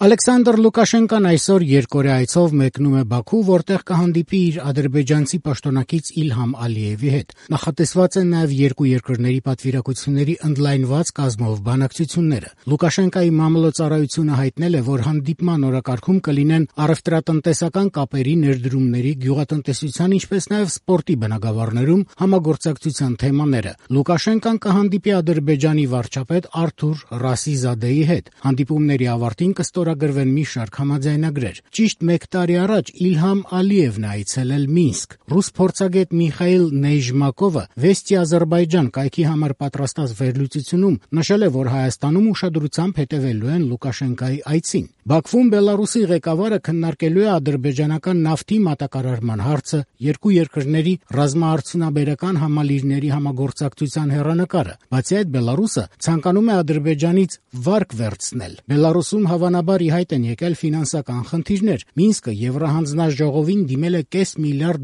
Ալեքսանդր Լուկաշենկոն այսօր երկօրյա այցով մեկնում է Բաքու, որտեղ կհանդիպի իր ադրբեջանցի պաշտոնակից Իլհամ Ալիևի հետ։ Նախատեսված են նաև երկու երկրների պատվիրակությունների ընդլայնված կազմով բանակցությունները։ Լուկաշենկոյի մամլոյցարայությունը հայտնել է, որ հանդիպման օրակարգում կլինեն առևտրատնտեսական կապերի, ներդրումների, գյուղատնտեսության, ինչպես նաև սպորտի բնագավառներում համագործակցության թեմաները։ Լուկաշենկոն կհանդիպի Ադրբեջանի վարչապետ Արթուր Ռասիզադեի հետ։ Հանդիպումների ավարտին կստորագրվեն մի շարք համաձայնագրեր։ Ճիշտ 1 տարի առաջ Իլհամ Ալիևն է այցելել Մինսկ։ Ռուս փորձագետ Միխայիլ Նեյժմակովը «Վեստի Ադրբեջան» կայքի համար պատրաստած վերլուծությունում նշել է, որ Հայաստանում ուշադրությամբ հետևելու են Լուկաշենկոյի այցին։ Բաքվում Բելարուսի ղեկավարը քննարկելու է ադրբեջանական նավթի մատակարարման հարցը, երկու երկրների ռազմաարդյունաբերական համալիրների համագործակցության հեռանկարը։ Բացի այդ, Բելարուսը ցանկանում է Ադրբեջանից վարկ վերցնել։ Բելարուսում հավանաբար ի հայտ են եկել ֆինանսական խնդիրներ։ Մինսկը Եվրահանձնաժողովին դիմել է $500 միլիարդ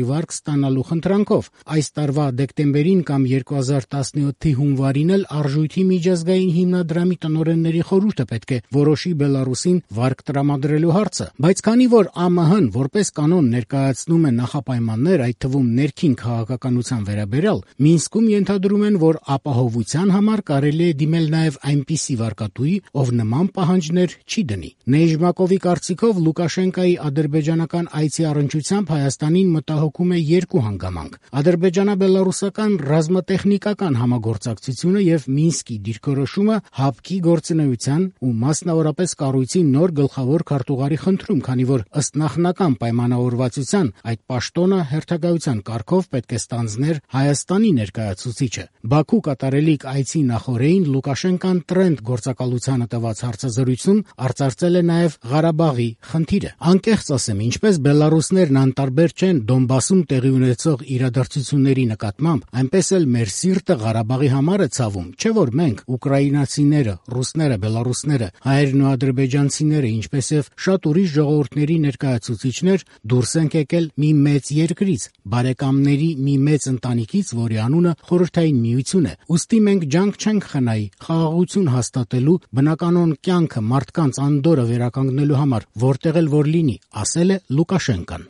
վարկ ստանալու խնդրանքով։ Այս տարվա դեկտեմբերին կամ 2017-ի հունվարին էլ Արժույթի միջազգային հիմնադրամի տնօրենների խորհուրդը պետք է որոշի Բելարուսին վարկ տրամադրելու հարցը, բայց քանի որ ԱՄՆ-ն որպես կանոն ներկայացնում է նախապայմաններ, այդ թվում ներքին քաղաքականության վերաբերյալ, Մինսկում ենթադրում են, որ ապահովության համար կարելի է դիմել նաև այնպիսի վարկատուի, ով նման պահանջներ չի դնի։ Նեյժմակովի կարծիքով Լուկաշենկոյի ադրբեջանական այցի առնչությամբ Հայաստանին մտահոգում է երկու հանգամանք՝ ադրբեջանա-բելարուսական ռազմատեխնիկական համագործակցությունը եւ Մինսկի դիրքորոշումը ՀԱՊԿ-ի գործունեության ու մասնավորապես կառույցի նոր գլխավոր քարտուղարի խնդրում, քանի որ ըստ նախնական պայմանավորվածության այդ պաշտոնը հերթագայության կարգով պետք է ստանձներ Հայաստանի ներկայացուցիչը։ Բաքու կատարելիք այցի նախօրեին Լուկաշենկոն Տրենդ գործակալությանը տված հարցազրույցում արծարծել է նաև Ղարաբաղի խնդիրը։ Անկեղծ ասեմ, ինչպես բելարուսներն անտարբեր չեն Դոնբասում տեղի ունեցող իրադարձությունների նկատմամբ, այնպես էլ մեր սիրտը Ղարաբաղի համար է ցավում, չէ՞ որ մենք, ուկրաինացիները, ռուսները, բելարուսները, հայերն ու ադրբեջանցիները, ինչպես եւ շատ ուրիշ ժողովուրդների ներկայացուցիչներ դուրս ենք եկել մի մեծ երկրից, բարեկամների մի մեծ ընտանիքից, որի անունը Խորհրդային Միություն է։ Ուստի մենք ջանք չենք խնայի խաղաղություն հաստատելու, բնականոն կյանքը մարդկանց անդորրը վերականգնելու համար, որտեղ էլ որ լինի, ասել է Լուկաշենկոն։